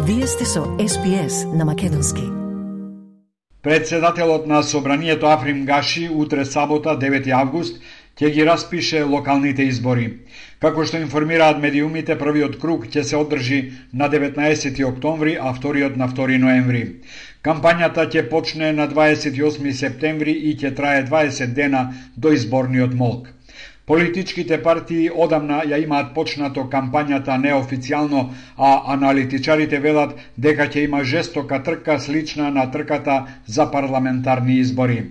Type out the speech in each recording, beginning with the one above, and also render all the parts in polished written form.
Вие сте со SPS на македонски. Председателот на Собранието Африм Гаши утре сабота 9 август ќе ги распише локалните избори. Како што информираат медиумите, првиот круг ќе се одржи на 19 октомври, а вториот на 2 ноември. Кампањата ќе почне на 28 септември и ќе трае 20 дена до изборниот молк. Политичките партии одамна ја имаат почнато кампањата неофицијално, а аналитичарите велат дека ќе има жестока трка слична на трката за парламентарни избори.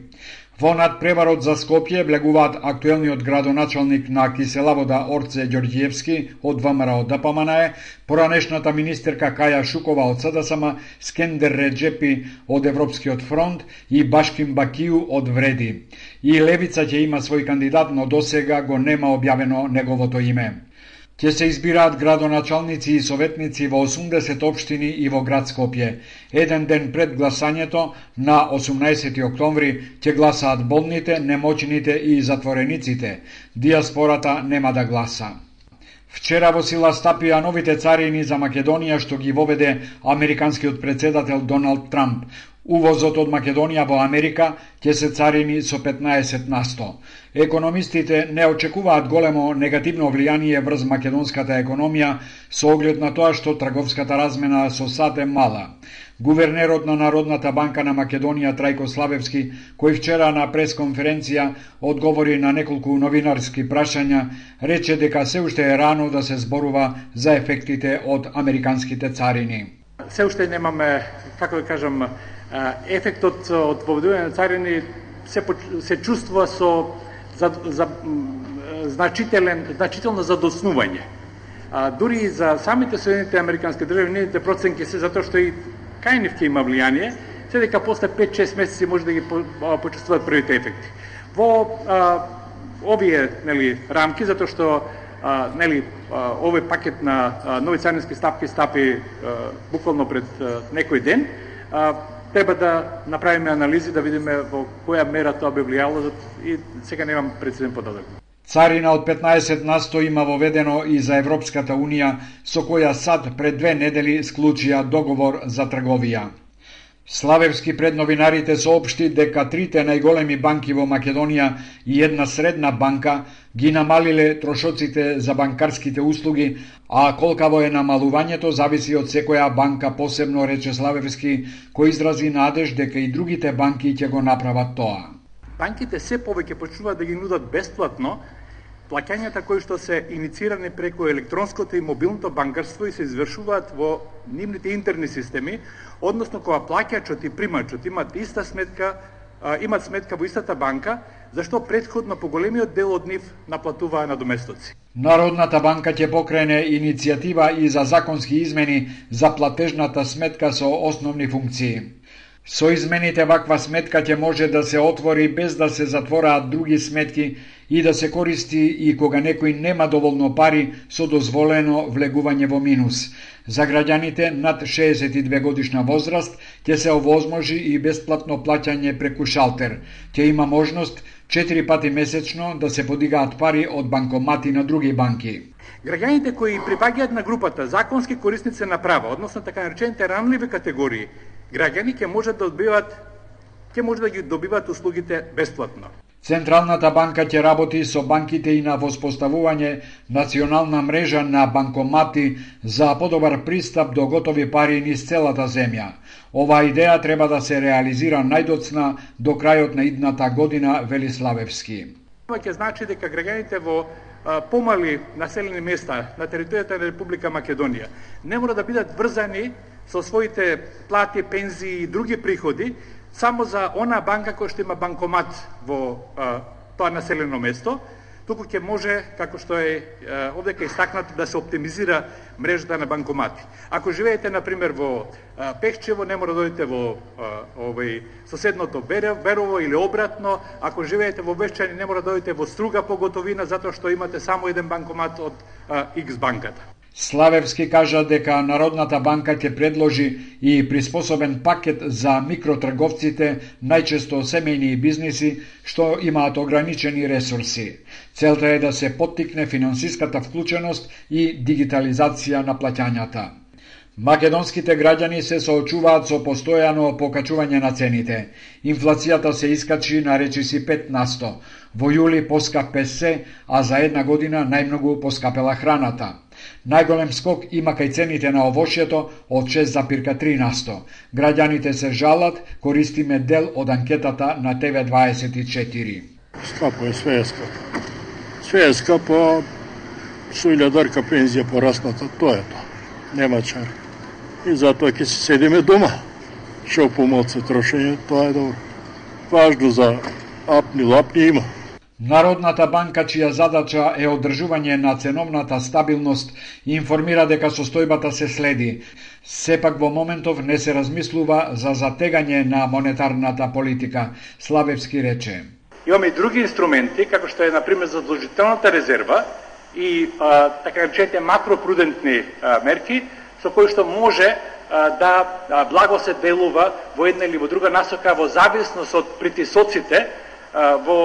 Во надпреварот за Скопје влегуваат актуелниот градоначалник на Киселавода Орце Ѓорѓиевски од ВМРО ДПМНЕ, поранешната министерка Каја Шукова од СДСМ, Скендер Реджепи од Европскиот фронт и Башким Бакију од Вреди. И Левица ќе има свој кандидат, но досега го нема објавено неговото име. Ќе се избираат градоначалници и советници во 80 општини и во град Скопје. Еден ден пред гласањето, на 18 октомври, ќе гласаат болните, немоćните и затворениците. Диаспората нема да гласа. Вчера во сила стапија новите царини за Македонија што ги воведе американскиот председател Доналд Трамп. Увозот од Македонија во Америка ќе се царини со 15%. Економистите не очекуваат големо негативно влијание врз македонската економија со оглед на тоа што трговската размена со САД е мала. Гувернерот на Народната банка на Македонија Трајко Славевски, кој вчера на пресконференција одговори на неколку новинарски прашања, рече дека се уште е рано да се зборува за ефектите од американските царини. Се уште немаме, како да кажам, ефектот од воведување на царини се чувствува со значително задоснување. Дури и за самите Соединените американски држави, нивните проценки се затоа што и кај нив ќе има влијание, се дека после 5-6 месеци може да ги почувствуваат првите ефекти. Во овие рамки, затоа што овој пакет на нови царински стапи буквално пред некој ден, треба да направиме анализи, да видиме во која мера тоа би влијало и сега немам прецизен податок. Царина од 15% има воведено и за Европската Унија, со која САД пред 2 недели склучија договор за трговија. Славевски пред новинарите соопшти дека трите најголеми банки во Македонија и една средна банка ги намалиле трошоците за банкарските услуги, а колкаво е намалувањето зависи од секоја банка посебно, рече Славевски, кој изрази надеж дека и другите банки ќе го направат тоа. Банките се повеќе почнуваат да ги нудат бесплатно плаќањата кои што се иницирани преку електронското и мобилното банкарство и се извршуваат во нивните интерни системи, односно кога плаќачот и примачот имат иста сметка, имат сметка во истата банка, зашто претходно поголемиот дел од нив наплатуваа надоместоци. Народната банка ќе покрене иницијатива и за законски измени за платежната сметка со основни функции. Со измените ваква сметка ќе може да се отвори без да се затвораат други сметки и да се користи и кога некој нема доволно пари со дозволено влегување во минус. За граѓаните над 62 годишна возраст ќе се овозможи и бесплатно плаќање преку шалтер. Ќе има можност 4 пати месечно да се подигаат пари од банкомати на други банки. Граѓаните кои припаѓаат на групата законски корисници на права, односно така наречените ранливи категории, граѓани ќе може да ги добиваат услугите бесплатно. Централната банка ќе работи со банките и на воспоставување национална мрежа на банкомати за подобар пристап до готови пари низ целата земја. Оваа идеја треба да се реализира најдоцна до крајот на идната година, вели Славевски. Ова ќе значи дека граѓаните во помали населени места на територијата на Република Македонија не мора да бидат врзани со своите плати, пензии и други приходи само за она банка која што има банкомат во тоа населено место, туку ќе може, како што е овдека истакнато, да се оптимизира мрежата на банкомати. Ако живеете, например, во Пехчево, не мора да дојдете во соседното Берово или обратно. Ако живеете во Вешчани, не мора да дојдете во Струга по готовина, затоа што имате само еден банкомат од X банката. Славевски кажа дека Народната банка ќе предложи и приспособен пакет за микротрговците, најчесто семејни бизниси, што имаат ограничени ресурси. Целта е да се поттикне финансиската вклученост и дигитализација на плаќањата. Македонските граѓани се соочуваат со постојано покачување на цените. Инфлацијата се искачи на речиси 5%. Во јули поскапе се, а за една година најмногу поскапела храната. Најголем скок има кај цените на овошјето од 6,3%. Граѓаните се жалат, користиме дел од анкетата на TV24. Скапо е, све е скапо. Све е скапо, со 1000 пензија порасната, тоа е тоа. Нема чар. И затоа ќе се седиме дома. Шо помалце трошење, тоа е добро. Важно за апни-лапни има. Народната банка, чија задача е одржување на ценовната стабилност, информира дека состојбата се следи. Сепак во моментов не се размислува за затегање на монетарната политика, Славевски рече. Имаме и други инструменти, како што е, например, задолжителната резерва и така речените макропрудентни мерки, со кои што може да благо се делува во една или во друга насока во зависност од притисоците во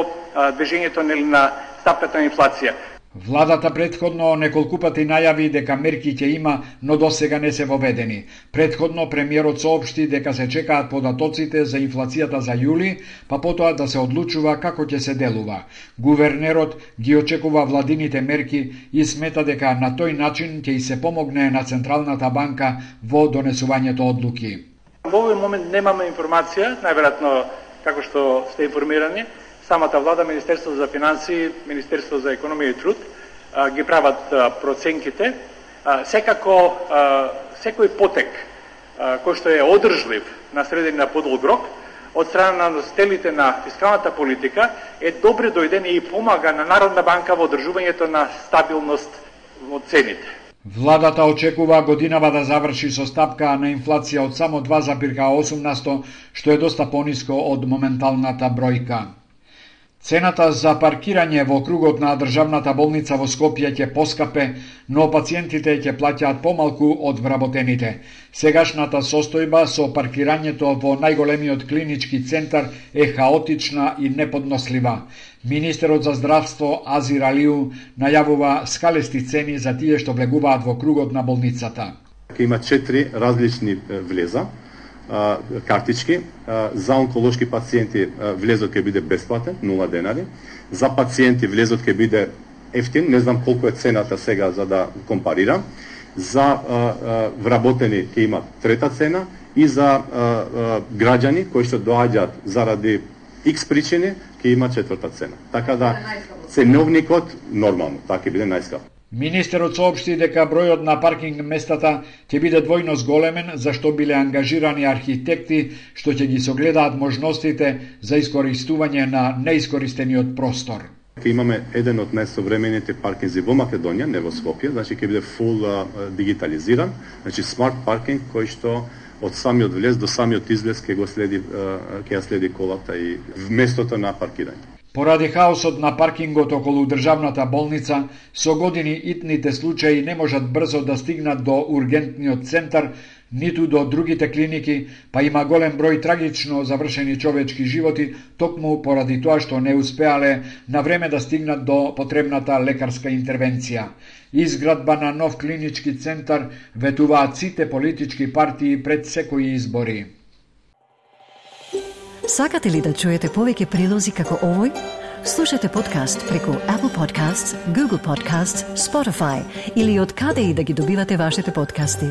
движењето на стапката на инфлација. Владата претходно неколку пати најави дека мерки ќе има, но досега не се воведени. Претходно премиерот соопшти дека се чекаат податоците за инфлацијата за јули, па потоа да се одлучува како ќе се делува. Гувернерот ги очекува владините мерки и смета дека на тој начин ќе и се помогне на Централната банка во донесувањето одлуки. Во овој момент немаме информација, најверојатно како што сте информирани, самата влада, Министерството за финансии, Министерството за економија и труд ги прават проценките. Секако секој потек кој што е одржлив на среден на подолг рок од страна на носителите на фискалната политика е добре дојден и помага на Народна банка во одржувањето на стабилност во цените. Владата очекува годинава да заврши со стапка на инфлација од само 2,8%, што е доста пониско од моменталната бројка. Цената за паркирање во округот на државната болница во Скопје ќе поскапе, но пациентите ќе плаќаат помалку од вработените. Сегашната состојба со паркирањето во најголемиот клинички центар е хаотична и неподнослива. Министерот за здравство Азир Алиу најавува скалести цени за тие што влегуваат во кругот на болницата. Има 4 различни влеза, картички. За онколошки пациенти влезот ќе биде бесплатен, 0 денари. За пациенти влезот ќе биде ефтин, не знам колку е цената сега за да компарирам. За вработени ќе има трета цена и за граѓани кои што доаѓаат заради X причини ќе има четврта цена. Така да ценовникот нормално, така ќе биде најскап. Министерот соопшти дека бројот на паркинг местата ќе биде двојно зголемен, зашто биле ангажирани архитекти што ќе ги согледаат можностите за искористување на неискористениот простор. Ќе имаме еден од најсовремените паркинзи во Македонија, не во Скопје, значи ќе биде фул дигитализиран, значи смарт паркинг кој што од самиот влез до самиот излез ќе ја следи колата и местото на паркирање. Поради хаосот на паркингот околу државната болница, со години итните случаи не можат брзо да стигнат до ургентниот центар, ниту до другите клиники, па има голем број трагично завршени човечки животи, токму поради тоа што не успеале на време да стигнат до потребната лекарска интервенција. Изградба на нов клинички центар ветуваат сите политички партии пред секои избори. Сакате ли да чуете повеќе прилози како овој? Слушате подкаст преку Apple Podcasts, Google Podcasts, Spotify или од каде и да ги добивате вашите подкасти.